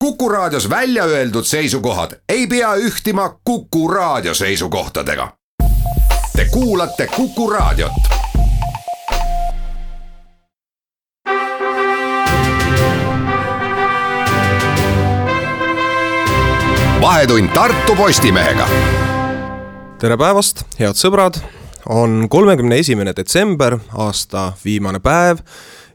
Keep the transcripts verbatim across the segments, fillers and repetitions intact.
Kuku Raadios välja öeldud seisukohad ei pea ühtima Kuku Raadio seisukohtadega. Te kuulate Kuku Raadiot. Vahetund Tartu Postimehega. Tere päevast, head sõbrad! On kolmekümne esimene detsember, aasta viimane päev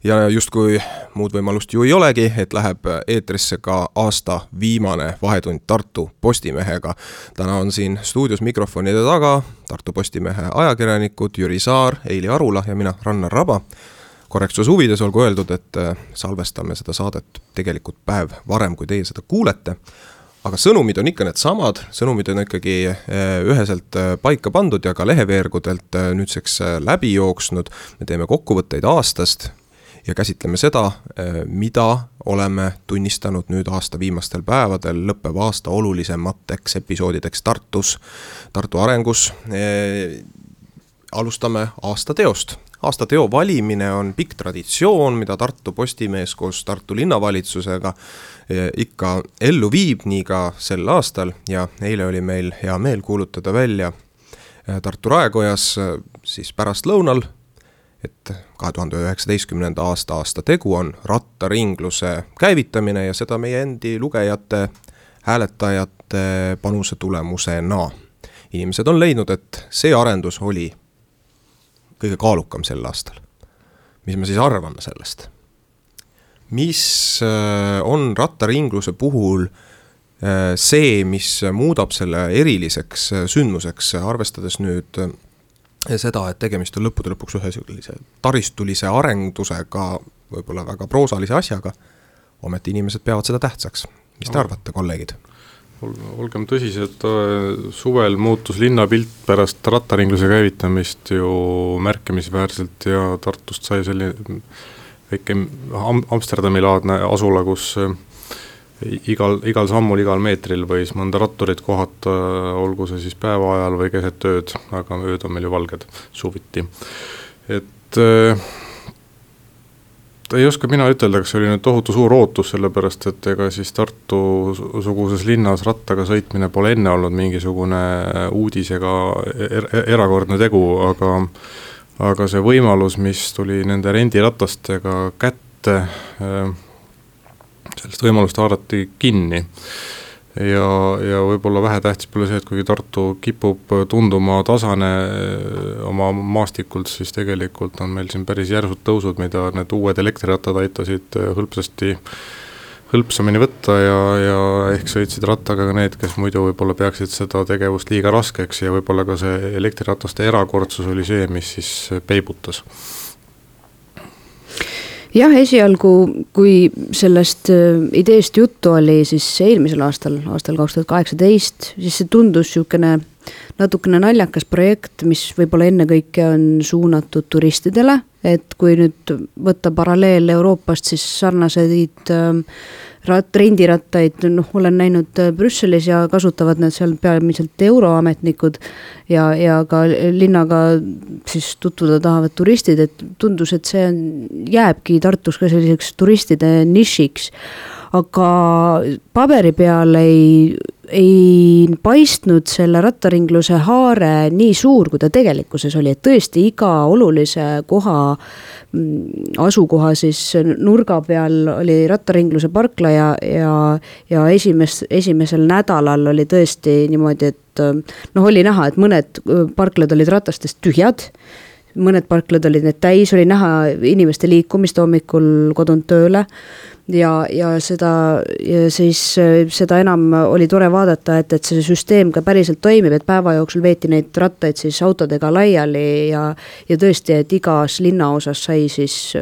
ja justkui muud võimalust ju ei olegi, et läheb eetrisse ka aasta viimane Vahetund Tartu Postimehega. Täna on siin stuudios mikrofonide taga Tartu Postimehe ajakirjanikud Jüri Saar, Eili Arula ja mina, Rannar Raba. Korrektsuse huvides olgu öeldud, et salvestame seda saadet tegelikult päev varem, kui teie seda kuulete. Aga sõnumid on ikka need samad, sõnumid on ikkagi üheselt paika pandud ja ka leheveergudelt nüüdseks läbi jooksnud. Me teeme kokkuvõtteid aastast ja käsitleme seda, mida oleme tunnistanud nüüd aasta viimastel päevadel lõppev aasta olulisemateks episoodideks Tartus, Tartu arengus. Alustame aasta teost. Aasta teo valimine on pikk traditsioon, mida Tartu Postimees koos Tartu linnavalitsusega ikka ellu viib nii ka sel aastal ja eile oli meil hea meel kuulutada välja Tartu Raekojas siis pärast lõunal, et kahe tuhande üheksateistkümnenda aasta aasta tegu on rattaringluse käivitamine ja seda meie endi lugejate, hääletajate panuse tulemusena. Inimesed on leidnud, et see arendus oli kõige kaalukam sel aastal. Mis me siis arvame sellest? Mis on rattaringluse puhul see, mis muudab selle eriliseks sündmuseks, arvestades nüüd seda, et tegemist on lõppude lõpuks ühe sellise taristulise arendusega, võib-olla väga proosalise asjaga, ometi inimesed peavad seda tähtsaks. Mis te arvate, kolleegid? Olgem tõsised, suvel muutus linnapilt pärast rattaringluse käivitamist ju märkimisväärselt ja Tartust sai selline väike Amsterdami laadne asula, kus igal, igal sammul, igal meetril võis mõnda ratturit kohata, olgu see siis päeva ajal või keset tööd, aga ööd on meil ju valged suviti. Et ei oska mina ütelda, kas oli nüüd tohutu suur ootus, sellepärast et ega siis Tartu suguses linnas rattaga sõitmine pole enne olnud mingisugune uudis ega er- erakordne tegu, aga, aga see võimalus, mis tuli nende rendiratastega kätte, sellest võimalust haarati kinni. Ja, ja võib-olla vähe tähtis pole see, et kuigi Tartu kipub tunduma tasane oma maastikult, siis tegelikult on meil siin päris järsud tõusud, mida need uued elektrirattad aitasid hõlpsasti hõlpsamini võtta ja, ja ehk sõitsid rattaga ka need, kes muidu võib-olla peaksid seda tegevust liiga raskeks ja võib-olla ka see elektrirataste erakordsus oli see, mis siis peibutas. Jah, esialgu, kui sellest ideest juttu oli siis eelmisel aastal, aastal kaks tuhat kaheksateist, siis see tundus niisugune natukene naljakas projekt, mis võib-olla enne kõike on suunatud turistidele, et kui nüüd võtta paralleel Euroopast, siis sarnaseid rat, rendirattaid, noh, olen näinud Brüsselis ja kasutavad need seal peamiselt euroametnikud ja, ja ka linnaga siis tutvuda tahavad turistid, et tundus, et see on, jääbki Tartus ka selliseks turistide nišiks, aga paberi peal ei, ei paistnud selle rattaringluse haare nii suur, kui ta tegelikkuses oli, et tõesti iga olulise koha asukoha siis nurga peal oli rattaringluse parkla ja, ja, ja esimes, esimesel nädalal oli tõesti niimoodi, et noh, oli näha, et mõned parklad olid ratastest tühjad, mõned parklad olid need täis, oli näha inimeste liikumist hommikul kodunt tööle ja, ja seda ja siis seda enam oli tore vaadata, et, et see süsteem ka päriselt toimib, et päeva jooksul veeti neid rattaid siis autodega laiali ja, ja tõesti, et igas linna osas sai siis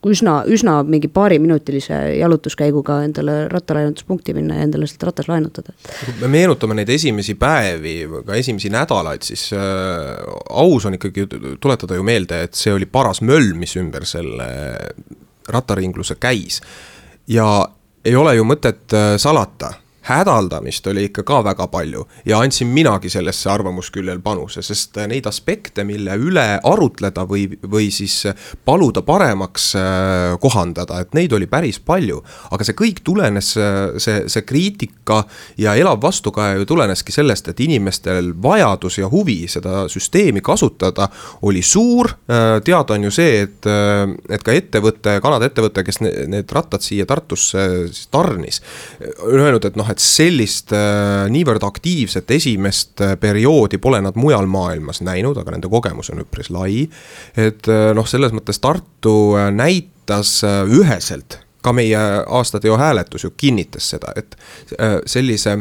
üsna, üsna mingi paari minutilise jalutuskäiguga endale rattalaenutuspunkti minna ja endale seda rattas laenutada. Me meenutame neid esimesi päevi, ka esimesi nädalaid, siis äh, aus on ikkagi tuletada ju meelde, et see oli paras möll, mis ümber selle rattaringluse käis. Ja ei ole ju mõtet salata, hädaldamist oli ikka ka väga palju ja andsin minagi sellesse arvamusküljel panuse, sest neid aspekte, mille üle arutleda või, või siis paluda paremaks kohandada, et neid oli päris palju, aga see kõik tulenes, see, see kriitika ja elav vastukaja ju tuleneski sellest, et inimestel vajadus ja huvi seda süsteemi kasutada oli suur, teada on ju see, et, et ka ettevõte, Kanada ettevõte, kes need rattad siia Tartusse tarnis, on öelnud, et noh, et sellist äh, niivõrd aktiivset esimest äh, perioodi pole nad mujal maailmas näinud, aga nende kogemus on üpris lai. Et äh, noh, selles mõttes Tartu äh, näitas äh, üheselt, ka meie aastateo hääletus ju kinnitas seda, et äh, sellise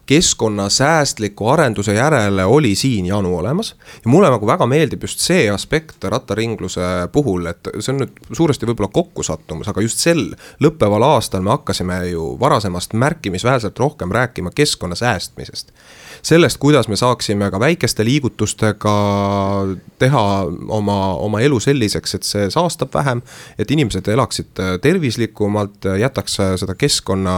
keskkonnasäästliku arenduse järele oli siin janu olemas ja mulle nagu väga meeldib just see aspekt rattaringluse puhul, et see on nüüd suuresti võib-olla kokkusattumus, aga just sel lõppeval aastal me hakkasime ju varasemast märkimisväärselt rohkem rääkima keskkonna säästmisest. Sellest, kuidas me saaksime ka väikeste liigutustega teha oma, oma elu selliseks, et see saastab vähem, et inimesed elaksid tervislikumalt, jätaks seda keskkonna,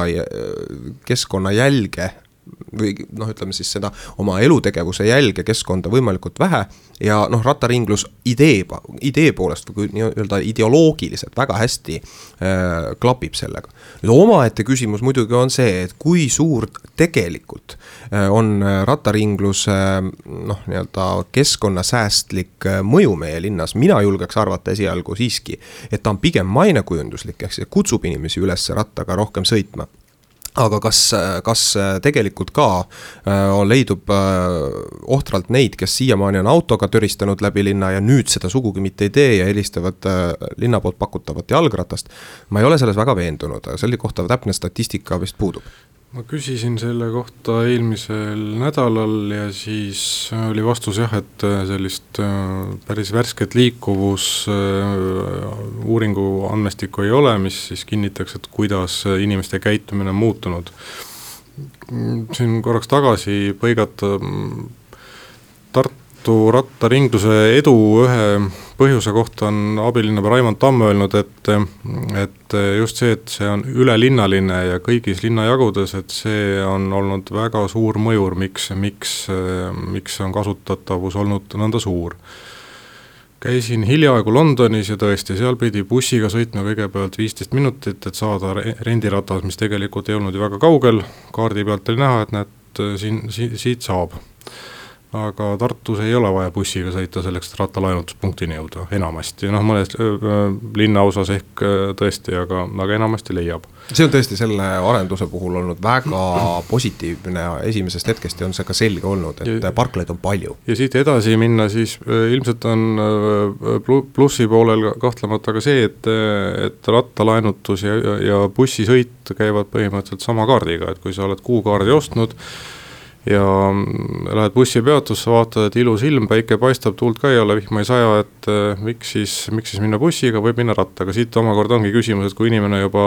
keskkonna jälge või noh, ütleme siis seda oma elutegevuse jälge keskkonda võimalikult vähe ja noh, rattaringlus idee, idee poolest või nii-öelda ideoloogiliselt väga hästi äh, klapib sellega. Nüüd omaette küsimus muidugi on see, et kui suur tegelikult äh, on rattaringluse äh, noh, nii-öelda keskkonnasäästlik äh, mõju meie linnas, mina julgeks arvata esialgu siiski, et ta on pigem mainekujunduslik, ehk see kutsub inimesi üles rattaga rohkem sõitma. Aga kas, kas tegelikult ka on leidub ohtralt neid, kes siiamaani on autoga töristanud läbi linna ja nüüd seda sugugi mitte ei tee ja helistavad linna poolt pakutavat jalgratast? Ma ei ole selles väga veendunud, selle kohta täpne statistika vist puudub. Ma küsisin selle kohta eelmisel nädalal ja siis oli vastus jah, et sellist päris värsket liikuvus uuringu andmestikku ei ole, mis siis kinnitaks, et kuidas inimeste käitumine on muutunud. Siin korraks tagasi põigata Tartu rattaringluse edu ühe põhjuse kohta on abilinnapea Raimond Tamm öelnud, et, et just see, et see on ülelinnaline ja kõigis linnajagudes, et see on olnud väga suur mõjur, miks, miks, miks on kasutatavus olnud nõnda suur. Käisin hiljaaegu Londonis ja tõesti, seal pidi bussiga sõitma kõigepealt viisteist minutit, et saada rendiratas, mis tegelikult ei olnud ju väga kaugel, kaardi pealt oli näha, et näed, siin, si, siit saab. Aga Tartus ei ole vaja bussiga sõita selleks, et rattalaenutuspunktini jõuda, enamasti. Noh, mõnes linnaosas ehk tõesti, aga, aga enamasti leiab. See on tõesti selle arenduse puhul olnud väga positiivne ja esimesest hetkest on see ka selge olnud, et ja, parklaid on palju. Ja siit edasi minna, siis ilmselt on plussi poolel kahtlemata ka see, et, et rattalaenutus ja, ja bussisõit käivad põhimõtteliselt sama kaardiga, et kui sa oled kuukaardi ostnud, ja lähed bussipeatusse, vaatad, et ilus ilm, päike paistab, tuult ka ei ole, vihma ei saja, et miks siis, miks siis minna bussiga, võib minna rattaga. Siit omakorda ongi küsimus, et kui inimene juba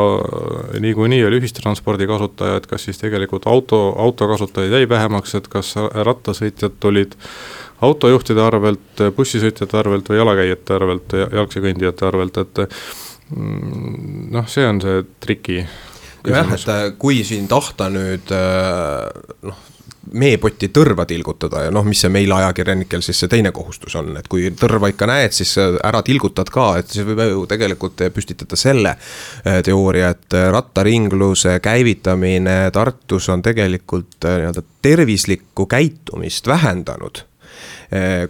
nii kui nii oli ühistranspordi kasutaja, et kas siis tegelikult auto, auto kasutajaid jäi vähemaks, et kas rattasõitjad tulid autojuhtide arvelt, bussisõitjate arvelt või jalakäijate arvelt, jalgsi kõndijate arvelt, et noh, see on see triki küsimus. Jah, et kui siin tahta nüüd noh, meepotti tõrva tilgutada ja noh, mis see meil ajakirjanikel siis see teine kohustus on, et kui tõrva ikka näed, siis ära tilgutad ka, et siis võib ju tegelikult püstitada selle teooria, et rattaringluse käivitamine Tartus on tegelikult nii-öelda tervislikku käitumist vähendanud.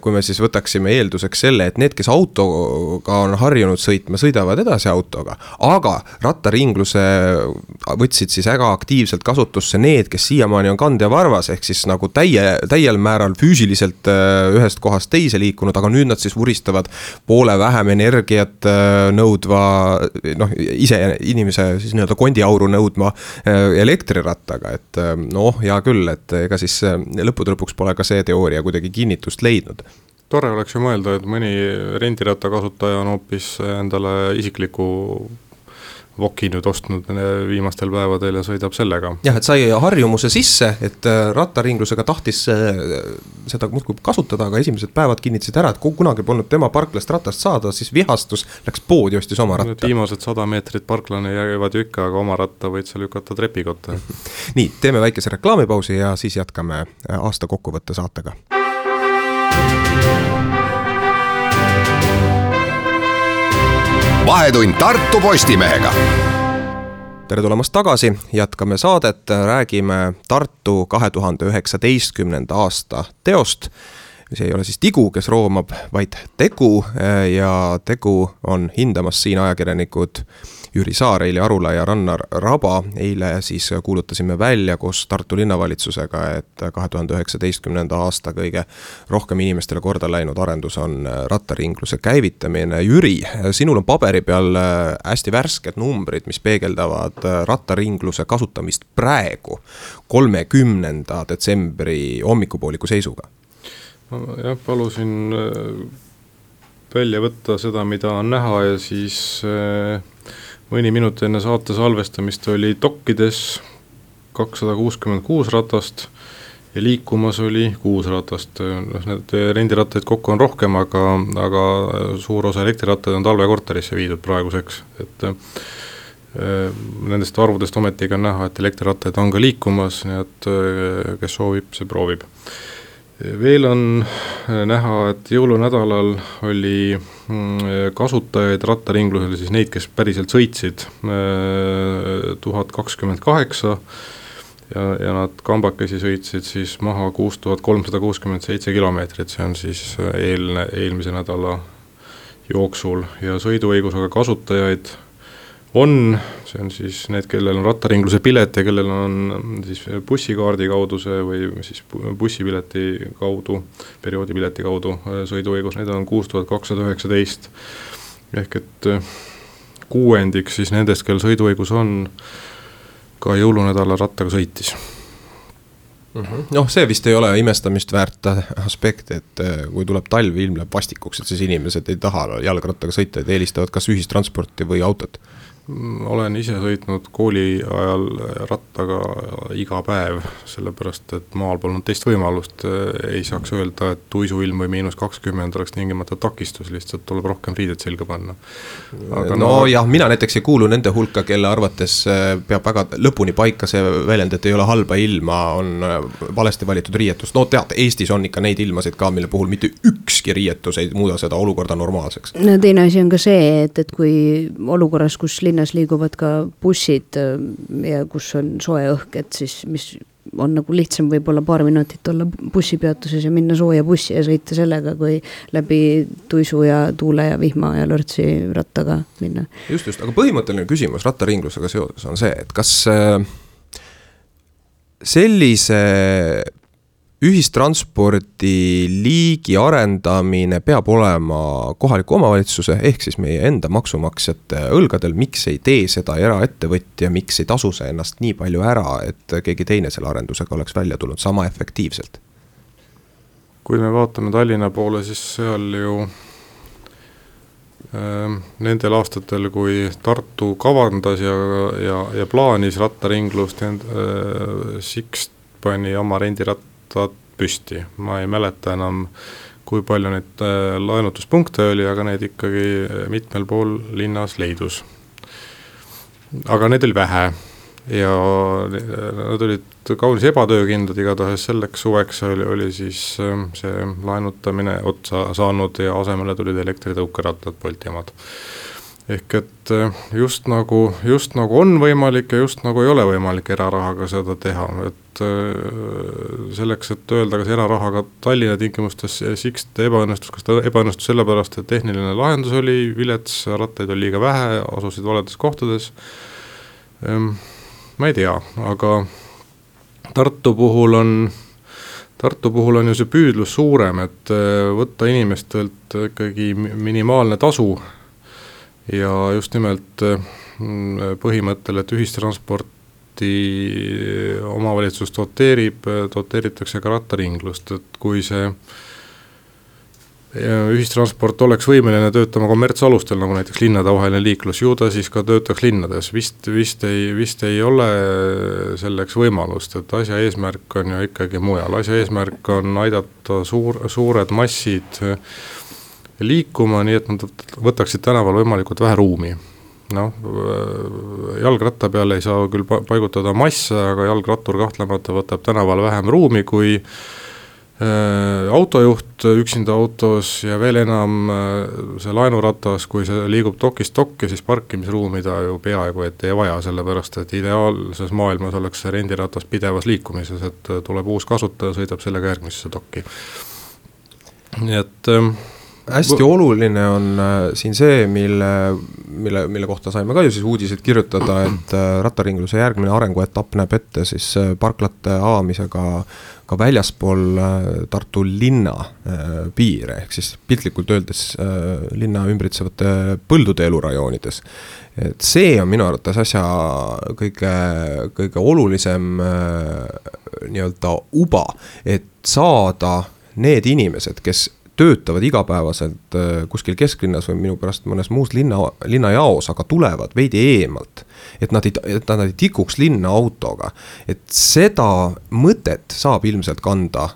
Kui me siis võtaksime eelduseks selle, et need, kes autoga on harjunud sõitma, sõidavad edasi autoga, aga rattaringluse võtsid siis väga aktiivselt kasutusse need, kes siiamaani on kand ja varvas, ehk siis nagu täie, täiel määral füüsiliselt ühest kohast teise liikunud, aga nüüd nad siis vuristavad poole vähem energiat nõudva, noh, ise inimese siis nii-öelda kondiauru nõudma elektrirattaga, et noh, hea küll, et ega siis lõppude lõpuks pole ka see teooria kuidagi kinnitust leidnud. Tore oleks ju mõelda, et mõni rendiratta kasutaja on hoopis endale isikliku Voki nüüd ostnud viimastel päevadel ja sõidab sellega. jah, et sai harjumuse sisse, et rattaringlusega tahtis seda muudkui kasutada, aga esimesed päevad kinnitasid ära, et kunagi polnud tema parklast ratast saada, siis vihastus, läks poodi, ostis oma ratta. Viimased sada meetrit parklane jäävad ju ikka, aga oma ratta võid seal lükata trepikotta. Nii, teeme väikese reklaamipausi ja siis jätkame aasta kokkuvõtte saatega. Vahetund Tartu Postimehega. Tere tulemast tagasi, jätkame saadet, räägime Tartu kahe tuhande üheksateistkümnenda aasta teost. See ei ole siis Tigu, kes roomab, vaid Tegu ja Tegu on hindamas siin ajakirjanikud Jüri Saar, Eili Arula ja Rannar Raba. Eile siis kuulutasime välja koos Tartu linnavalitsusega, et kahe tuhande üheksateistkümnenda aasta kõige rohkem inimestele korda läinud arendus on rattaringluse käivitamine. Jüri, sinul on paberi peal hästi värsked numbrid, mis peegeldavad rattaringluse kasutamist praegu kolmekümnenda detsembri hommikupooliku seisuga. Jah, palusin välja võtta seda, mida on näha ja siis mõni minut enne saate salvestamist oli dokkides kakssada kuuskümmend kuus ratast ja liikumas oli kuus ratast. Need rendirattaid kokku on rohkem, aga, aga suur osa elektrirattaid on talvekorterisse viidud praeguseks. Et nendest arvudest ometiga on näha, et elektrirattaid on ka liikumas, nii et kes soovib, see proovib. Veel on näha, et jõulunädalal oli kasutajaid rattaringlusel, siis neid, kes päriselt sõitsid, tuhat kakskümmend kaheksa ja, ja nad kambakesi sõitsid siis maha kuus tuhat kolmsada kuuskümmend seitse kilomeetrit, see on siis eelne, eelmise nädala jooksul ja sõiduõigusega kasutajaid on, see on siis need, kellel on rattaringluse pilet ja kellel on siis bussikaardi kaudu see või siis bussipileti kaudu, perioodipileti kaudu sõiduõigus, need on kuus tuhat kakssada üheksateist. Ehk et kuuendik siis nendest, kel sõiduõigus on, ka jõulunädala rattaga sõitis. Noh, see vist ei ole imestamist väärt aspekt, et kui tuleb talv, ilm läheb vastikuks, et siis inimesed ei taha jalgrattaga sõita, et eelistavad kas ühistransporti või autot. Olen ise sõitnud kooli ajal rattaga iga päev, sellepärast, et maal polnud teist võimalust. Ei saaks öelda, et tuisuilm või miinus kakskümmend oleks tingimata takistus, lihtsalt tuleb rohkem riided selga panna. Aga no, no jah, mina näiteks ei kuulu nende hulka, kelle arvates peab väga lõpuni paika see väljend, et ei ole halba ilma, on valesti valitud riietus. No tead, Eestis on ikka neid ilmasid ka, mille puhul mitte ükski riietus ei muuda seda olukorda normaalseks. No teine asi on ka see, et, et kui olukorras, kus linnas liiguvad ka bussid ja kus on soe õhk, et siis mis on nagu lihtsam võib-olla paar minutit olla bussipeatuses ja minna sooja bussi ja sõita sellega, kui läbi tuisu ja tuule ja vihma ja lörtsi rattaga minna. Just, just, aga põhimõtteline küsimus rattaringlusega seoses on see, et kas sellise ühistranspordi liigi arendamine peab olema kohaliku omavalitsuse ehk siis meie enda maksumaksjate õlgadel, miks ei tee seda eraettevõtja, miks ei tasu see ennast nii palju ära, et keegi teine selle arendusega oleks välja tulnud sama efektiivselt? Kui me vaatame Tallinna poole, siis seal ju äh, nendel aastatel, kui Tartu kavandas ja, ja, ja plaanis rattaringlust, äh, Sixt pani oma rendiratta püsti. Ma ei mäleta enam, kui palju neid laenutuspunkte oli, aga need ikkagi mitmel pool linnas leidus. Aga need oli vähe ja nad olid kaunis ebatöökindlad, igatahes selleks suveks oli, oli siis see laenutamine otsa saanud ja asemele tulid elektritõukerattad, Boltiamad. Ehk et just nagu, just nagu on võimalik ja just nagu ei ole võimalik erarahaga seda teha, et selleks, et öelda, kas erarahaga Tallinna tingimustes Sixt ebaõnnestus, kas ta ebaõnnestus sellepärast, et tehniline lahendus oli vilets, rattaid oli liiga vähe, asusid valedes kohtades, ma ei tea, aga Tartu puhul on Tartu puhul on ju see püüdlus suurem, et võtta inimestelt ikkagi minimaalne tasu ja just nimelt põhimõttel, et ühistransporti omavalitsus doteerib, doteeritakse ka rattaringlust, et kui see ühistransport oleks võimeline töötama kommertsalustel, nagu näiteks linnadavaheline liiklus, ju ta siis ka töötaks linnades, vist, vist, ei, vist ei ole selleks võimalust, et asja eesmärk on ju ikkagi mujal, asja eesmärk on aidata suur, suured massid liikuma, nii et nad võtaksid tänaval võimalikult vähe ruumi. Noh, jalgratta peale ei saa küll paigutada masse, aga jalgrattur kahtlemata võtab tänaval vähem ruumi kui autojuht üksinda autos ja veel enam see laenuratas, kui see liigub dokist dokki, siis parkimisruumi ta ju peaaegu et ei vaja, sellepärast et ideaalses maailmas oleks see rendiratas pidevas liikumises, et tuleb uus kasutaja, sõidab sellega järgmisesse dokki. Nii et hästi oluline on siin see, mille, mille, mille kohta saime ka ju siis uudiseid kirjutada, et rattaringluse järgmine arenguetapp näeb ette siis parklate avamisega ka väljaspool Tartu linna piire, ehk siis piltlikult öeldes linna ümbritsevate põldude elurajoonides. Et see on minu arvates asja kõige, kõige olulisem nii-öelda uba, et saada need inimesed, kes töötavad igapäevaselt kuskil kesklinnas või minu pärast mõnes muus linna, linnajaos, aga tulevad veidi eemalt, et nad ei, et nad ei tikuks linna autoga. Et seda mõtet saab ilmselt kanda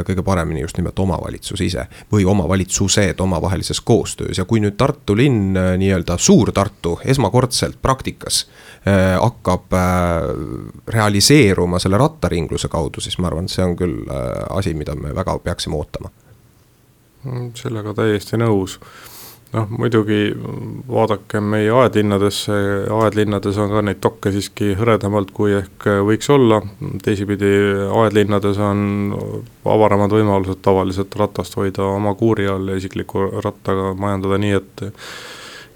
kõige paremini just nimelt omavalitsus ise või omavalitsused omavahelises koostöös. Ja kui nüüd Tartu linn, nii-öelda suur Tartu, esmakordselt praktikas hakkab realiseeruma selle rattaringluse kaudu, siis ma arvan, see on küll asi, mida me väga peaksime ootama. Sellega täiesti nõus. Noh, muidugi vaadake meie aedlinnadesse, aedlinnades on ka neid dokke siiski hõredamalt, kui ehk võiks olla. Teisipidi aedlinnades on avaramad võimalused tavaliselt ratast hoida oma kuuri all ja isikliku rattaga majandada nii, et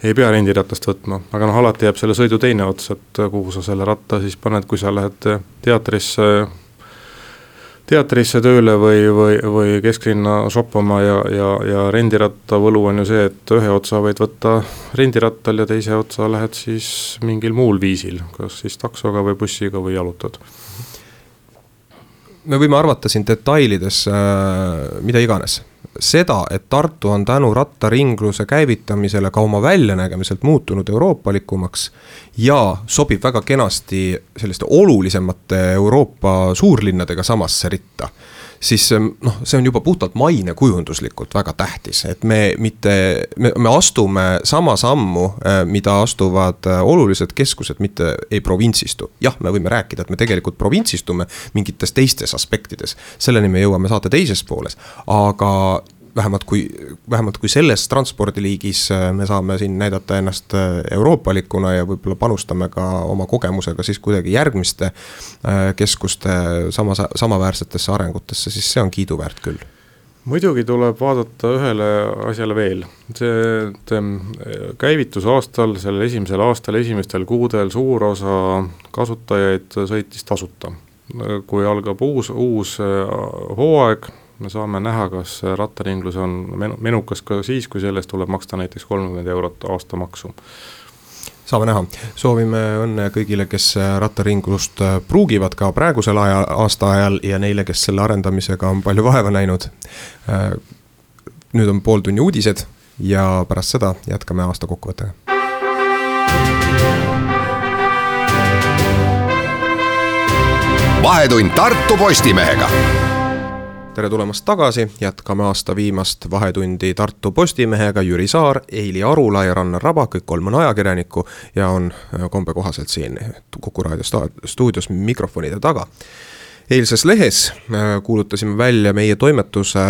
ei pea rendiratast võtma. Aga noh, alati jääb selle sõidu teine ots, et kuhu sa selle ratta siis paned, kui sa lähed teatrisse teatrisse tööle või, või, või kesklinna shoppama ja, ja, ja rendiratta võlu on ju see, et ühe otsa võid võtta rendirattal ja teise otsa lähed siis mingil muul viisil, kas siis taksoga või bussiga või jalutad. Me võime arvata siin detailides äh, mida iganes. Seda, et Tartu on tänu rattaringluse käivitamisele ka oma väljanägemiselt muutunud euroopalikumaks ja sobib väga kenasti selliste olulisemate Euroopa suurlinnadega samasse ritta, siis noh, see on juba puhtalt maine kujunduslikult väga tähtis, et me mitte, me, me astume sama sammu, mida astuvad olulised keskused, mitte ei provintsistu. Jah, me võime rääkida, et me tegelikult provintsistume mingites teistes aspektides, selleni me jõuame saate teises pooles, aga vähemalt kui, vähemalt kui selles transpordiliigis me saame siin näidata ennast euroopalikuna ja võib-olla panustame ka oma kogemusega siis kuidagi järgmiste keskuste sama, samaväärsetesse arengutesse, siis see on kiiduväärt küll. Muidugi tuleb vaadata ühele asjale veel. See, et käivitus aastal, sellel esimesel aastal, esimestel kuudel suur osa kasutajaid sõitis tasuta. Kui algab uus, uus hooaeg, me saame näha, kas rattaringlus on menukas ka siis, kui sellest tuleb maksta näiteks kolmkümmend eurot aastamaksu. Saame näha. Soovime õnne kõigile, kes rattaringlust pruugivad ka praegusel aja, aasta ajal ja neile, kes selle arendamisega on palju vaeva näinud. Nüüd on pool tunni uudised ja pärast seda jätkame aasta kokkuvõttega. Vahetund Tartu Postimehega. Tere tulemast tagasi, jätkame aasta viimast vahetundi Tartu Postimehega, Jüri Saar, Eili Arula ja Rannar Raba, kõik kolm on ajakirjanikku ja on kombe kohaselt siin Kuku Raadio stuudios mikrofonide taga. Eilses lehes kuulutasime välja meie toimetuse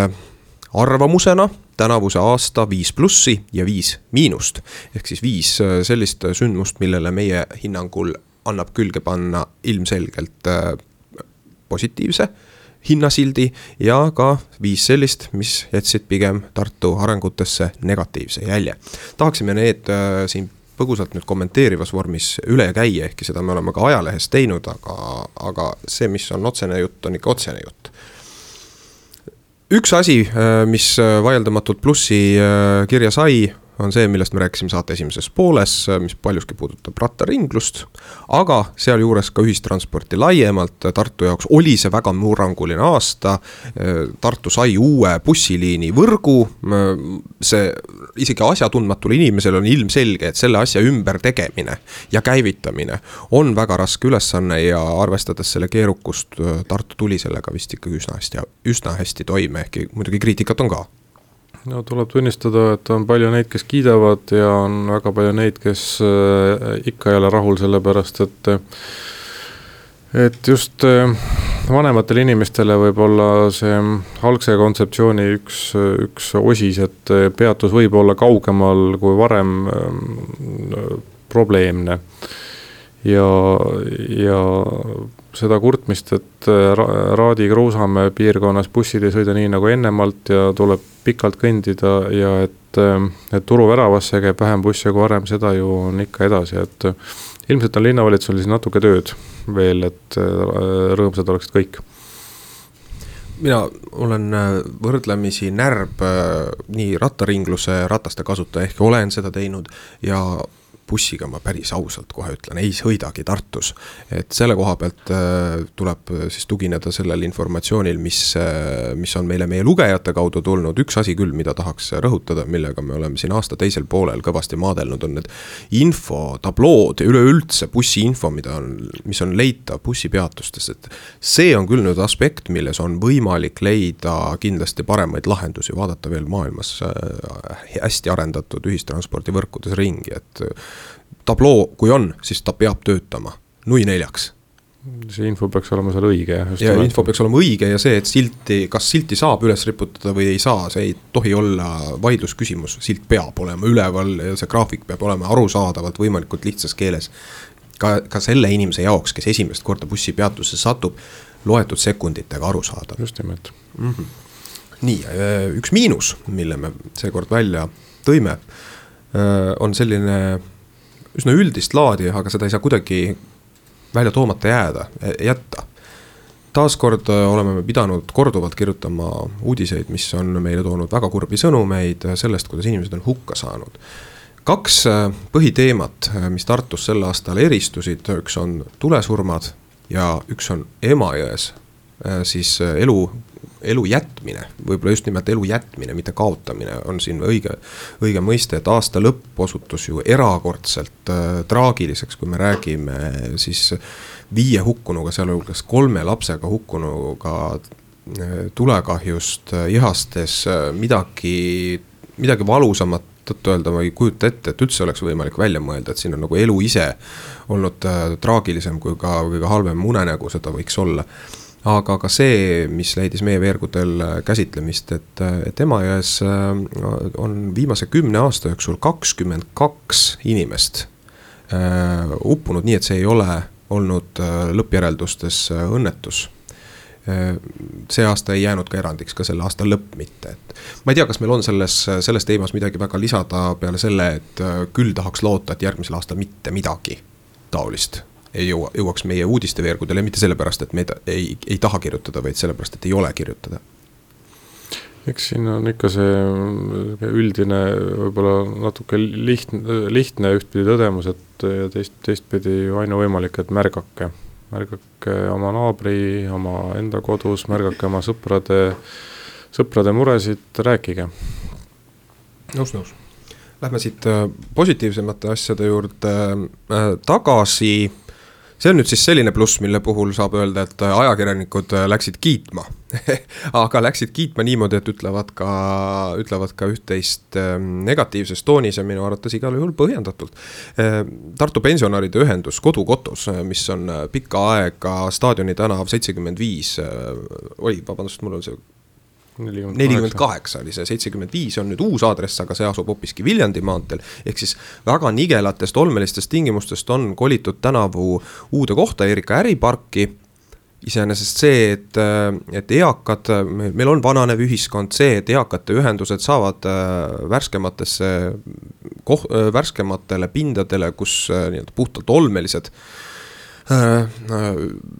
arvamusena tänavuse aasta viis plussi ja viis miinust, ehk siis viis sellist sündmust, millele meie hinnangul annab külge panna ilmselgelt positiivse hinnasildi ja ka viis sellist, mis jätsid pigem Tartu arengutesse negatiivse jälje. Tahaksime need äh, siin põgusalt nüüd kommenteerivas vormis üle käia, ehkki seda me oleme ka ajalehes teinud, aga, aga see, mis on otsene jutt, on ikka otsene jutt. Üks asi, äh, mis vaieldamatult plussi äh, kirja sai, on see, millest me rääkisime saate esimeses pooles, mis paljuski puudutab rattaringlust, aga sealjuures ka ühistransporti laiemalt. Tartu jaoks oli see väga murranguline aasta. Tartu sai uue bussiliini võrgu. See isegi asjatundmatul inimesel on ilmselge, et selle asja ümber tegemine ja käivitamine on väga raske ülesanne ja arvestades selle keerukust, Tartu tuli sellega vist ikka üsna hästi, üsna hästi toime, ehkki muidugi kriitikat on ka. No tuleb tunnistada, et on palju neid, kes kiidavad ja on väga palju neid, kes ikka ei ole rahul selle pärast, et et just vanematel inimestele võib olla see algse kontseptsiooni üks, üks osis, et peatus võib olla kaugemal kui varem probleemne. Ja, ja seda kurtmist, et Raadi Kruusamäe piirkonnas bussid ei sõida nii nagu ennemalt ja tuleb pikalt kõndida ja et, et turuväravasse käib vähem bussi kui varem, seda ju on ikka edasi, et ilmselt on linnavalitsusel siis natuke tööd veel, et rõõmsad oleksid kõik. Mina olen võrdlemisi närb nii rattaringluse rataste kasutaja, ehk olen seda teinud ja bussiga ma päris ausalt kohe ütlen, ei sõidagi Tartus. Et selle koha pealt tuleb siis tugineda sellel informatsioonil, mis, mis on meile meie lugejate kaudu tulnud. Üks asi küll, mida tahaks rõhutada, millega me oleme siin aasta teisel poolel kõvasti maadelnud, on need info, tablood ja üleüldse bussi info, mida on, mis on leitav bussipeatustes. Et see on küll nüüd aspekt, milles on võimalik leida kindlasti paremaid lahendusi, vaadata veel maailmas hästi arendatud ühistranspordivõrkudes ringi, et tabloo, kui on, siis ta peab töötama nui neljaks. See info peaks olema seal õige. Ja info peaks olema õige ja see, et silti, kas silti saab üles riputada või ei saa, see ei tohi olla vaidlusküsimus. Silt peab olema üleval ja see graafik peab olema arusaadavalt võimalikult lihtsas keeles. Ka, ka selle inimese jaoks, kes esimest korda bussipeatusse satub, loetud sekunditega arusaadav. Just nimelt. Mm-hmm. Nii, üks miinus, mille me seekord välja tõime, on selline üsna üldist laadi, aga seda ei saa kuidagi välja toomata jääda, jätta. Taaskord oleme me pidanud korduvalt kirjutama uudiseid, mis on meile toonud väga kurbi sõnumeid sellest, kuidas inimesed on hukka saanud. Kaks põhiteemat, mis Tartus sel aastal eristusid, üks on tulesurmad ja üks on Emajões, siis elu elu jätmine, võib-olla just nimelt elu jätmine, mitte kaotamine on siin õige, õige mõiste, et aasta lõpp osutus ju erakordselt äh, traagiliseks, kui me räägime siis viie hukkunuga, sealhulgas kolme lapsega hukkunuga äh, tulekahjust äh, ihastes äh, midagi, midagi valusamat tõttu öelda, ma ei kujuta ette, et üldse oleks võimalik välja mõelda, et siin on nagu elu ise olnud äh, traagilisem kui ka, kui ka halvem unenägu, seda võiks olla. Aga ka see, mis leidis meie veergudel käsitlemist, et, et Emajões on viimase kümne aasta jooksul kakskümmend kaks inimest äh, uppunud nii, et see ei ole olnud äh, lõppjäreldustes äh, õnnetus. Äh, see aasta ei jäänud ka erandiks, ka selle aasta lõpp mitte. Et ma ei tea, kas meil on selles, selles teemas midagi väga lisada peale selle, et äh, küll tahaks loota, et järgmisel aastal mitte midagi taolist ei jõua, jõuaks meie uudisteveergudele, mitte sellepärast, et me ei, ei taha kirjutada, vaid sellepärast, et ei ole kirjutada. Eks siin on ikka see üldine, võib-olla natuke lihtne, lihtne ühtpidi tõdemus, et teist, teistpidi ainu võimalik, et märgake. Märgake oma naabri, oma enda kodus, märgake oma sõprade, sõprade muresid, rääkige. Nõus, nõus. Lähme siit positiivsemate asjade juurde tagasi. See on nüüd siis selline pluss, mille puhul saab öelda, et ajakirjanikud läksid kiitma. Aga läksid kiitma niimoodi, et ütlevad ka, ütlevad ka üht-teist negatiivses toonis ja minu arvates igal juhul põhjendatult. Tartu pensionäride ühendus Kodukotus, mis on pikka aega Staadioni tänav seitsekümmend viis, oli, vabandust, mul on see nelikümmend kaheksa oli see, seitsekümmend viis on nüüd uus aadress, aga see asub hoopiski Viljandi maanteel, ehk siis väga nigelatest olmelistest tingimustest on kolitud tänavu uude kohta Erika äriparki. Iseenesest see, et, et eakad, meil on vananev ühiskond, see, et eakate ühendused saavad värskematesse, koh, värskematele pindadele, kus nii-öelda puhtalt olmelised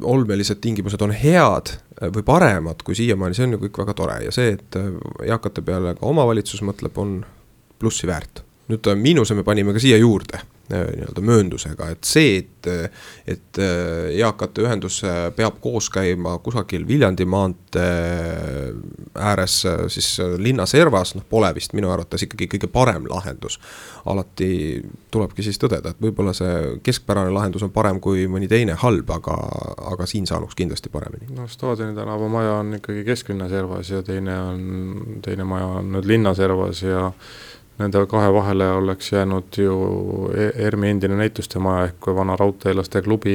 olmelised tingimused on head või paremad kui siiamaani, see on ju kõik väga tore ja see, et eakate peale ka omavalitsus mõtleb, on plussi väärt. nüüd miinuse me panime ka siia juurde nii-öelda mööndusega, et see, et, et eakate ühendus peab koos käima kusagil Viljandi maantee ääres siis linna servas, noh pole vist minu arvates ikkagi kõige parem lahendus. Alati tulebki siis tõdeda, et võib-olla see keskpärane lahendus on parem kui mõni teine halb, aga, aga siin saanuks kindlasti paremini. No Staadioni tänava maja on ikkagi kesklinna servas ja teine, on, teine maja on nüüd linna servas ja nende kahe vahele oleks jäänud ju ERMi endine näituste maja ehk vana raudteelaste klubi,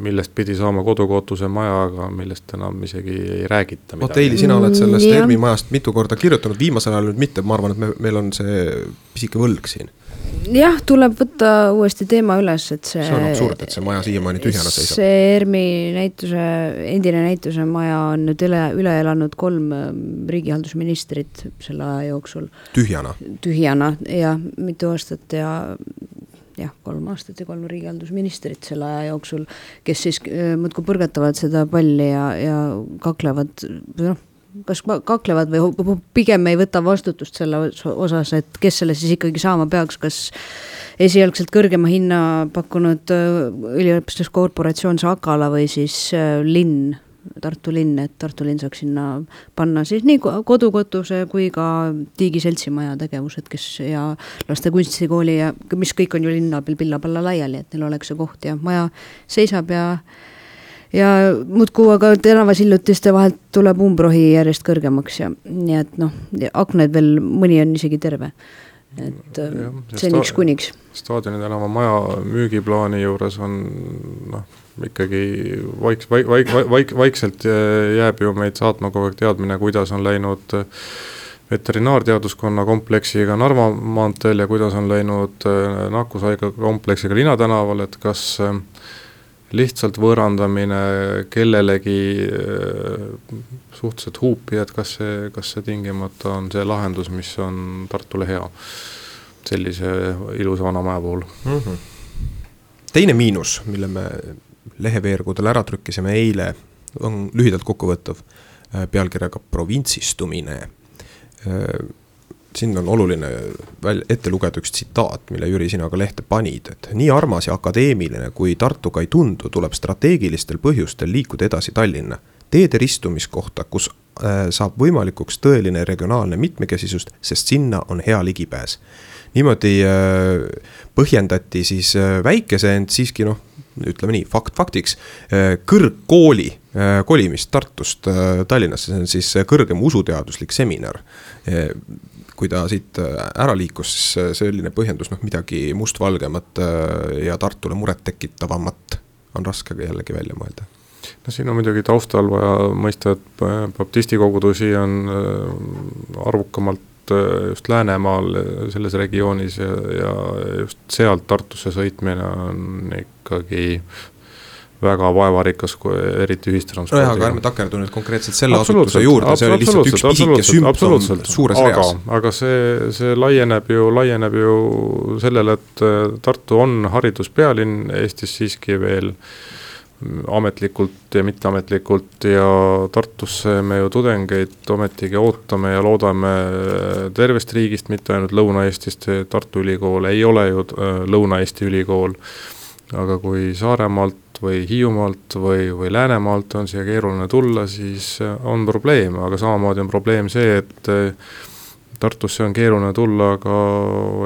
millest pidi saama kodukootuse maja, aga millest enam isegi ei räägita. Oteili, sina oled sellest mm, ERMi majast mitu korda kirjutanud, viimasel ajal nüüd mitte, ma arvan, et me, meil on see pisike võlg siin. Jah, tuleb võtta uuesti teema üles, et see... See on absurd, et see maja siiamaani tühjana seisab. See ERMi näituse, endine näituse maja on nüüd üle, üle elanud kolm riigihaldusministrit selle aja jooksul. Tühjana? Tühjana, ja mitu aastat ja jah, kolm aastat ja kolm riigihaldusministrit selle aja jooksul, kes siis mõtku põrgatavad seda palli ja, ja kaklevad, noh, kas kaklevad või pigem ei võta vastutust selle osas, et kes selle siis ikkagi saama peaks, kas esialgselt kõrgema hinna pakkunud üliõpilaskorporatsioon Sakala või siis linn, Tartu linn, et Tartu linn saaks sinna panna siis nii kodukotuse kui ka Tiigi seltsimaja tegevused, kes ja laste kunstikooli ja mis kõik on ju linna peal pilla-palla laiali, et neil oleks see koht ja maja seisab ja ja muudkuu, aga tänavasillutiste vahelt tuleb umbrohi järjest kõrgemaks ja nii et noh, akned veel mõni on isegi terve, et ja, seniks sta- kuniks. Staadioni tänava maja müügiplaani juures on noh, ikkagi vaik, vaik, vaik, vaik, vaikselt jääb ju meid saatma kogu aeg teadmine, kuidas on läinud veterinaarteaduskonna kompleksiga Narva maanteel ja kuidas on läinud nakkushaiga kompleksiga Linnatänaval, et kas lihtsalt võõrandamine kellelegi suhteliselt huupi, et kas see, kas see tingimata on see lahendus, mis on Tartule hea sellise ilusa vana maja puhul. Mm-hmm. Teine miinus, mille me leheveergudel ära trükkisime eile, on lühidalt kokkuvõttav pealkirjaga provintsistumine. Siin on oluline ette lugeda üks tsitaat, mille Jüri sina ka lehte panid, et nii armas ja akadeemiline kui Tartuga ei tundu, tuleb strateegilistel põhjustel liikuda edasi Tallinna. Teede ristumiskohta, kus äh, saab võimalikuks tõeline regionaalne mitmekesisust, sest sinna on hea ligipääs. Niimoodi äh, põhjendati siis äh, väikese, ent siiski noh, ütleme nii, fakt faktiks, äh, kõrgkooli äh, kolimist Tartust äh, Tallinnasse, see on siis kõrgem usuteaduslik seminar. Äh, kui ta siit ära liikus, siis selline põhjendus, noh midagi mustvalgemat ja Tartule muret tekitavamat on raske jällegi välja mõelda. No siin on muidugi taustal vaja mõista, et baptisti kogudusi on arvukamalt just Läänemaal selles regioonis ja, ja just sealt Tartusse sõitmine on ikkagi väga vaevarikas, eriti ühistranspordiga. No aga ärme takerdu nüüd konkreetselt selle asutuse juurde, see oli lihtsalt üks pisike sümptom suures aga, reas. Aga see, see laieneb ju, laieneb ju sellele, et Tartu on hariduspealinn Eestis siiski veel ametlikult ja mitteametlikult ja Tartusse me ju tudengeid ometigi ootame ja loodame tervest riigist, mitte ainult Lõuna-Eestist, Tartu ülikool ei ole ju Lõuna-Eesti ülikool, aga kui Saaremaalt või Hiiumaalt või, või Läänemaalt on siia keeruline tulla, siis on probleem, aga samamoodi on probleem see, et Tartusse on keeruline tulla ka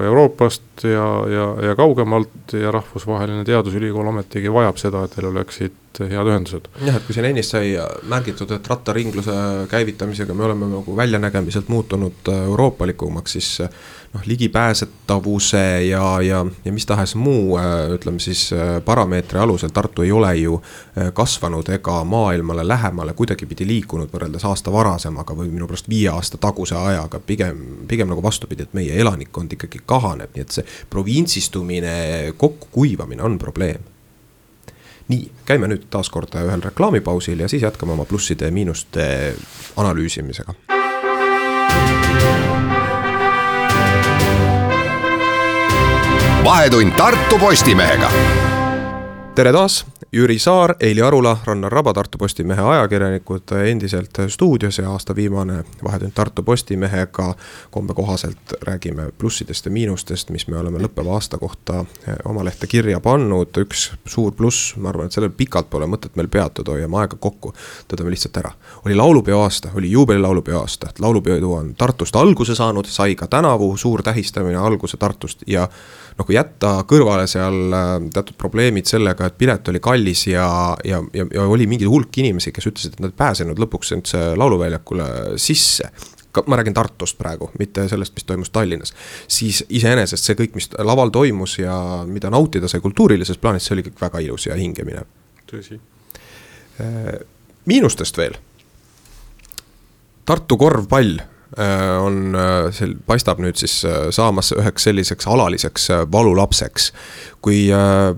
Euroopast ja, ja, ja kaugemalt ja rahvusvaheline teadusülikool ometigi vajab seda, et teil oleksid head ühendused. Jah, et kui siin ennist sai märgitud, et rattaringluse käivitamisega me oleme nagu väljanägemiselt muutunud euroopalikumaks, siis noh, ligipääsetavuse ja, ja, ja mis tahes muu, ütleme siis parameetri alusel Tartu ei ole ju kasvanud ega maailmale lähemale kuidagi pidi liikunud võrreldes aasta varasemaga või minu pärast viie aasta taguse ajaga, pigem, pigem nagu vastupidi, et meie elanikkond ikkagi kahaneb, nii et see provintsistumine, kokku kuivamine on probleem. Nii, käime nüüd taas kord ühel reklaamipausil ja siis jätkame oma plusside ja miinuste analüüsimisega. Vahetund Tartu Postimehega. Tere taas, Jüri Saar, Eili Arula, Rannar Raba, Tartu Postimehe ajakirjanikud endiselt stuudios ja aasta viimane Vahetund Tartu Postimehega kombe kohaselt räägime plussidest ja miinustest, mis me oleme lõppeva aasta kohta oma lehte kirja pannud. Üks suur pluss, ma arvan, et sellel pikalt pole mõtet meil peatuda, hoiame aega kokku, tõdame lihtsalt ära. Oli laulupeo aasta, oli juubeli laulupeo aasta, laulupeo on Tartust alguse saanud, sai ka tänavu suur tähistamine alguse Tartust ja noh, kui jätta kõrvale seal teatud probleemid sellega, et pilet oli kallis ja, ja, ja, ja oli mingi hulk inimesi, kes ütlesid, et nad pääsenud lõpuks üldse lauluväljakule sisse. Ma räägin Tartust praegu, mitte sellest, mis toimus Tallinnas. Siis iseenesest see kõik, mis laval toimus ja mida nautida sai kultuurilises plaanis, see oli kõik väga ilus ja hingemine. Tõsi. Miinustest veel. Tartu korvpall on, see paistab nüüd siis saamas üheks selliseks alaliseks valulapseks. Kui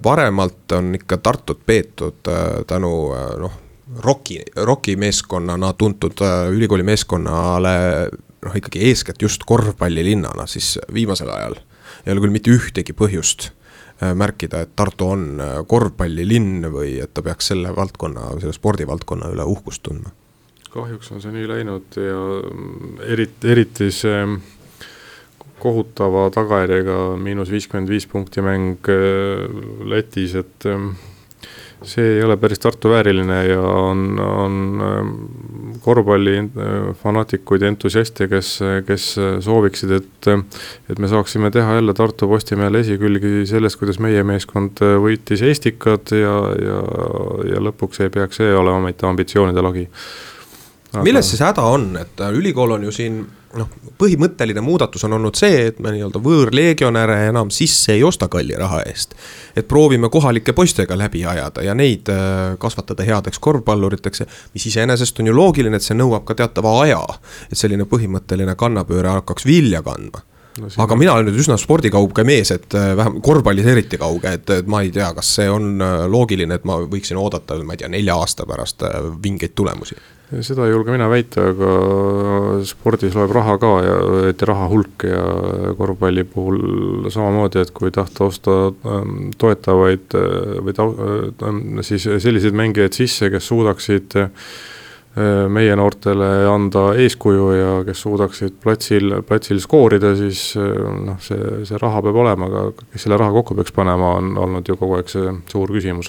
varemalt on ikka Tartut peetud tänu noh, roki, roki meeskonnana tuntud ülikooli meeskonnale noh, ikkagi eeskätt just korvpallilinnana, siis viimasel ajal ei ole küll mitte ühtegi põhjust märkida, et Tartu on korvpallilinn või et ta peaks selle valdkonna, selle spordivaldkonna üle uhkust tundma. Kahjuks on see nii läinud ja eriti, eriti see kohutava tagajärjega miinus viiskümmend viis punkti mäng Lätis, et see ei ole päris Tartu vääriline ja on, on korvpalli fanatikuid ja entusiaste, kes, kes sooviksid, et, et me saaksime teha jälle Tartu Postimehele esikülgi sellest, kuidas meie meeskond võitis Eestikad ja, ja, ja lõpuks ei peaks see olema mitte ambitsioonide lagi. Aga... Milles siis häda on, et ülikool on ju siin, noh, põhimõtteline muudatus on olnud see, et me nii-öelda võõrlegionäre enam sisse ei osta kalli raha eest. Et proovime kohalike poistega läbi ajada ja neid kasvatada headeks korvpalluriteks, mis iseenesest on ju loogiline, et see nõuab ka teatava aja, et selline põhimõtteline kannapööre hakkaks vilja kandma. No, aga on... mina olen nüüd üsna spordikauge mees, et vähem korvpallis eriti kauge, et, et ma ei tea, kas see on loogiline, et ma võiksin oodata, ma ei tea, nelja aasta pärast vingeid tulemusi. Seda ei julge mina väita, aga spordis loeb raha ka ja et raha hulk ja korvpalli puhul samamoodi, et kui tahta osta toetavaid või ta, siis selliseid mängijaid sisse, kes suudaksid meie noortele anda eeskuju ja kes suudaksid platsil, platsil skoorida, siis noh, see, see raha peab olema, aga kes selle raha kokku peaks panema, on olnud ju kogu aeg see suur küsimus.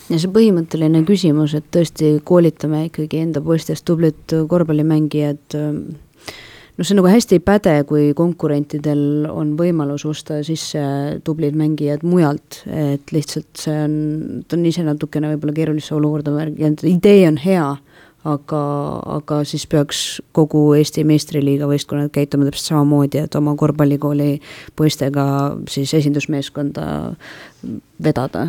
Ja see põhimõtteline küsimus, et tõesti koolitame ikkagi enda poistest tublit korvpallimängijad, no see nagu hästi ei päde, kui konkurentidel on võimalus osta sisse tublid mängijad mujalt, et lihtsalt see on, ta on ise natukene võib-olla keerulisse olukorda märginud, idee on hea, aga, aga siis peaks kogu Eesti meistriliiga võistkonnad käituma täpselt samamoodi, et oma korvpallikooli poistega siis esindusmeeskonda vedada.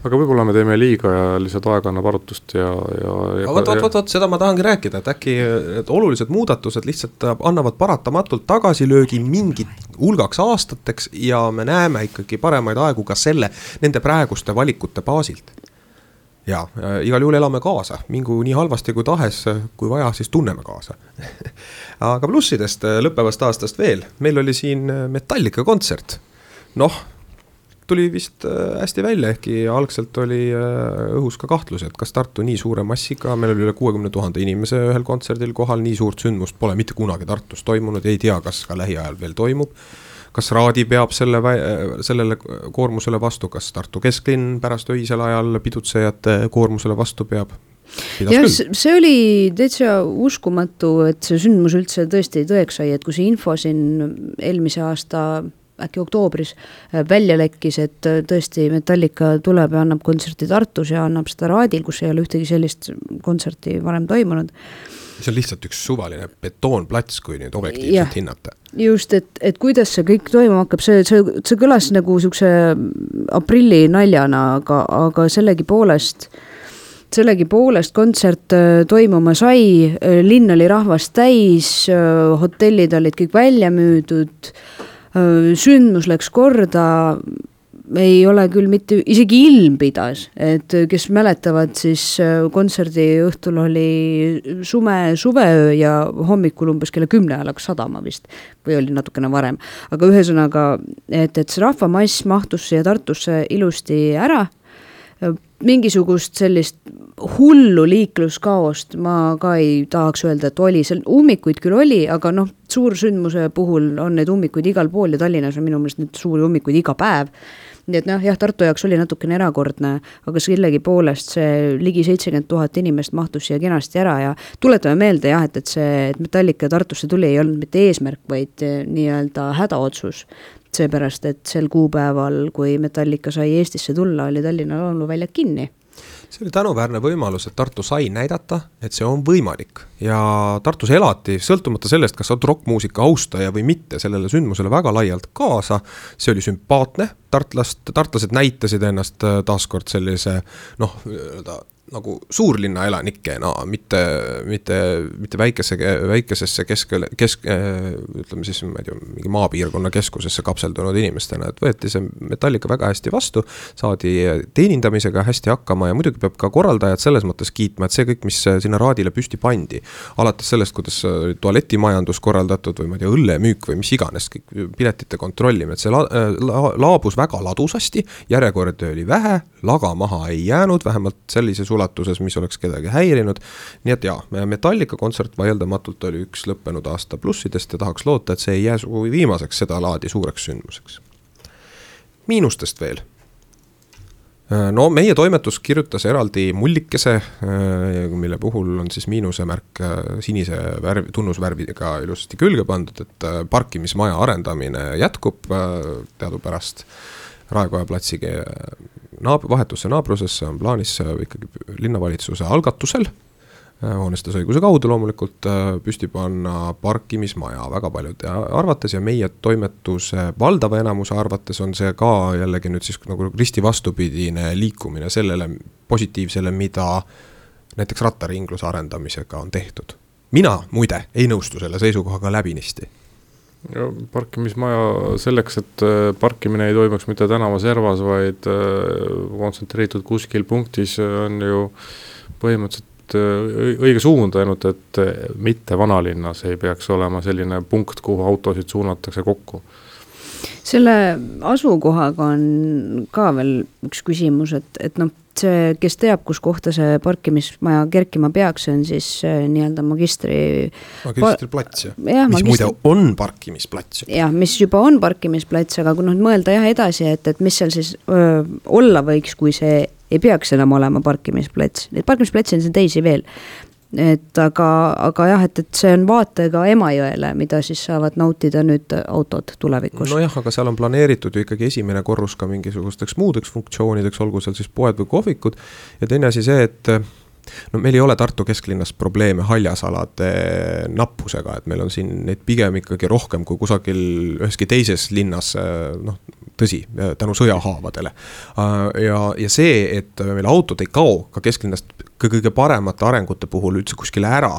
Aga võib-olla me teeme liiga ja lihtsalt aeg annab arutust ja... ja, ja võt, võt, võt, võt, seda ma tahangi rääkida, et äkki et olulised muudatused lihtsalt annavad paratamatult tagasilöögi mingit hulgaks aastateks ja me näeme ikkagi paremaid aegu ka selle, nende praeguste valikute baasilt. Ja, igal juhul elame kaasa, mingu nii halvasti kui tahes, kui vaja, siis tunneme kaasa. Aga plussidest lõppevast aastast veel, meil oli siin Metallica kontsert. Noh, tuli vist hästi välja, ehkki algselt oli õhus ka kahtlus, et kas Tartu nii suure massiga, meil oli üle kuuekümne tuhande inimese ühel kontserdil kohal, nii suurt sündmust pole mitte kunagi Tartus toimunud, ei tea, kas ka lähiajal veel toimub. Kas Raadi peab selle, sellele koormusele vastu, kas Tartu kesklinn pärast öisel ajal pidutsejate koormusele vastu peab? Ja see oli täitsa uskumatu, et see sündmus üldse tõesti tõeks sai, et kui see info siin eelmise aasta äkki oktoobris välja lekkis, et tõesti Metallica tuleb ja annab kontserti Tartus ja annab seda Raadil, kus ei ole ühtegi sellist kontserti varem toimunud. See on lihtsalt üks suvaline betoonplats, kui nüüd objektiivselt ja, hinnata. Just, et, et kuidas see kõik toimuma hakkab, see, see, see kõlas nagu sukse aprilli naljana, aga, aga sellegi poolest, sellegi poolest kontsert toimuma sai, linn oli rahvast täis, hotellid olid kõik välja müüdud, sündmus läks korda, ei ole küll mitte, isegi ilm pidas, et kes mäletavad, siis kontserdi õhtul oli sume, suveöö ja hommikul umbes kella kümne alaks sadama vist, või oli natukene varem. Aga ühesõnaga, et, et see rahvamass mahtus siia Tartusse ilusti ära, mingisugust sellist hullu liikluskaost ma ka ei tahaks öelda, et oli, seal ummikuid küll oli, aga noh, suursündmuse puhul on need ummikuid igal pool ja Tallinnas on minu meelest need suuri ummikuid iga päev. Nii et noh, jah, Tartu jaoks oli natukene erakordne, aga sellegi poolest see ligi seitsekümmend tuhat inimest mahtus siia kenasti ära ja tuletame meelde jah, et, et see et Metallica Tartusse tuli ei olnud mitte eesmärk, vaid nii-öelda hädaotsus. Seepärast, et sel kuupäeval, kui Metallica sai Eestisse tulla, oli Tallinna lauluväljak kinni. See oli tänuväärne võimalus, et Tartu sai näidata, et see on võimalik ja Tartus elati, sõltumata sellest, kas on rockmuusika austaja või mitte, sellele sündmusele väga laialt kaasa, see oli sümpaatne, tartlast, tartlased näitasid ennast taaskord sellise, noh, nagu suurlinna elanikena, mitte, mitte, mitte väikese, väikesesse kesk, kesk, ütleme siis, ma ei tea, mingi maapiirkonna keskusesse kapseldunud inimestena, et võeti see Metallica väga hästi vastu, saadi teenindamisega hästi hakkama ja muidugi peab ka korraldajad selles mõttes kiitma, et see kõik, mis sinna raadile püsti pandi, alates sellest, kuidas tualetimajandus korraldatud või ma ei tea, õllemüük või mis iganes, kõik piletite kontrollime, et see la, la, laabus väga ladusasti, järjekord oli vähe, laga maha ei jäänud, vähemalt sellise ulatuses, mis oleks kedagi häirinud. Nii et jaa, Metallica kontsert vaieldamatult oli üks lõppenud aasta plussidest ja tahaks loota, et see ei jää sugugi viimaseks seda laadi suureks sündmuseks. Miinustest veel. No meie toimetus kirjutas eraldi mullikese, mille puhul on siis miinusemärk sinise värvi, tunnusvärviga ilusasti külge pandud, et parkimismaja arendamine jätkub teadupärast Raekoja platsigi naab, vahetusse naabrusesse on plaanis ikkagi linnavalitsuse algatusel, hoonestusõiguse kaudu loomulikult püsti panna parkimismaja väga paljude arvates ja meie toimetuse valdava enamuse arvates on see ka jällegi nüüd siis nagu risti vastupidine liikumine sellele positiivsele, mida näiteks rattaringluse arendamisega on tehtud. Mina muide ei nõustu selle seisukohaga läbinisti. Ja parkimismaja selleks, et parkimine ei toimuks mitte tänava servas, vaid kontsentreeritud kuskil punktis on ju põhimõtteliselt õige suund ainult, et mitte vanalinnas ei peaks olema selline punkt, kuhu autosid suunatakse kokku. Selle asukohaga on ka veel üks küsimus, et, et noh, see, kes teab, kus kohta see parkimismaja kerkima peaks, on siis nii-öelda magistri... Magistriplats, ja. Ja, mis magistri... muide on parkimisplats. Jah, mis juba on parkimisplats, aga kui noh, mõelda jah edasi, et, et mis seal siis öö, olla võiks, kui see ei peaks enam olema parkimisplats. Need parkimisplatsi on see teisi veel. Et aga, aga jah, et, et see on vaatega Emajõele, mida siis saavad nautida nüüd autod tulevikus. No jah, aga seal on planeeritud ju ikkagi esimene korrus ka mingisugusteks muudeks funktsioonideks, olgu seal siis poed või kohvikud ja teine asi see, et no meil ei ole Tartu kesklinnas probleeme haljasalade nappusega, et meil on siin neid pigem ikkagi rohkem kui kusagil üheski teises linnas, noh, tõsi, tänu sõjahaavadele. Ja, ja see, et meil autod ei kao ka kesklinnast kõige paremate arengute puhul üldse kuskile ära,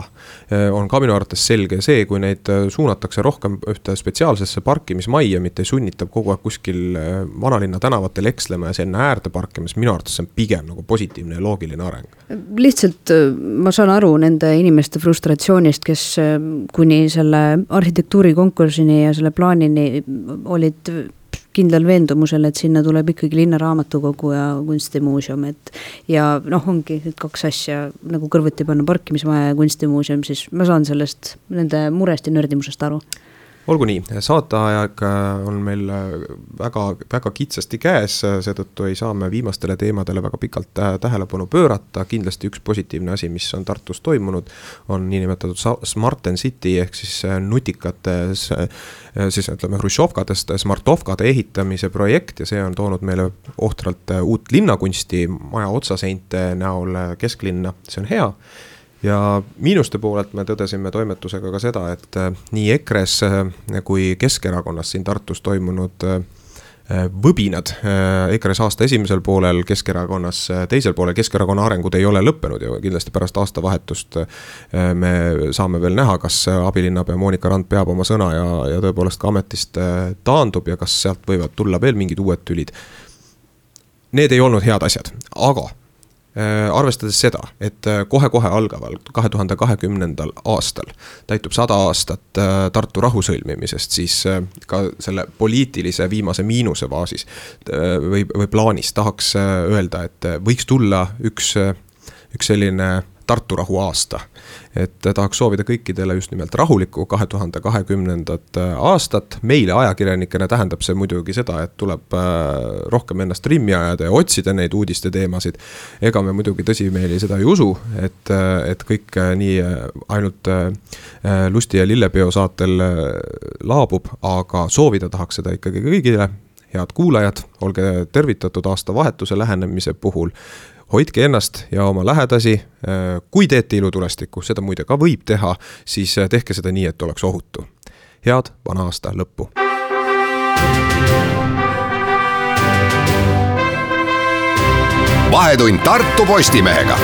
on ka minu arvates selge see, kui neid suunatakse rohkem ühte spetsiaalsesse parkimismaia, mitte sunnitab kogu aeg kuskil vanalinna tänavatel ekslema ja see enne äärde parkimis, minu arvates see on pigem nagu positiivne ja loogiline areng. Lihtsalt ma saan aru nende inimeste frustratsioonist, kes kuni selle arhitektuurikonkursini ja selle plaanini olid kindlal veendumusel, et sinna tuleb ikkagi linnaraamatukogu ja kunstimuuseum, et ja noh, ongi et kaks asja nagu kõrvuti panna parkimismaja ja kunstimuuseum, siis ma saan sellest nende murest ja nördimusest aru. Olgu nii, saateaeg on meil väga, väga kitsasti käes, seetõttu ei saa me viimastele teemadele väga pikalt tähelepanu pöörata. Kindlasti üks positiivne asi, mis on Tartus toimunud, on niinimetatud Smart and City ehk siis nutikates, siis ütleme Hrušovkadest smartovkade ehitamise projekt ja see on toonud meile ohtralt uut linnakunsti maja otsaseinte näol kesklinna, see on hea. Ja miinuste poolelt me tõdesime toimetusega ka seda, et nii EKRE-s kui Keskerakonnas siin Tartus toimunud võbinad EKRE-s aasta esimesel poolel, Keskerakonnas teisel poolel, Keskerakonna arengud ei ole lõppenud ja kindlasti pärast aastavahetust me saame veel näha, kas abilinnapea Monika Rand peab oma sõna ja, ja tõepoolest ka ametist taandub ja kas sealt võivad tulla veel mingid uued tülid. Need ei olnud head asjad, aga arvestades seda, et kohe-kohe algaval kahe tuhande kahekümnendal aastal täitub sada aastat Tartu rahu sõlmimisest, siis ka selle poliitilise viimase miinuse faasis või, või plaanis tahaks öelda, et võiks tulla üks, üks selline Tartu rahu aasta. Et tahaks soovida kõikidele just nimelt rahulikku kahe tuhande kahekümnendat aastat. Meile ajakirjanikena tähendab see muidugi seda, et tuleb rohkem ennast trimmi ajada ja otsida neid uudiste teemasid. Ega me muidugi tõsimeeli seda ei usu, et, et kõik nii ainult Lusti ja Lillepeo saatel laabub, aga soovida tahaks seda ikkagi kõigile. Head kuulajad, olge tervitatud aasta vahetuse lähenemise puhul. Hoidke ennast ja oma lähedasi, kui teete ilutulestikku, seda muide ka võib teha, siis tehke seda nii, et oleks ohutu. Head vana aasta lõppu. Vahetund Tartu Postimehega.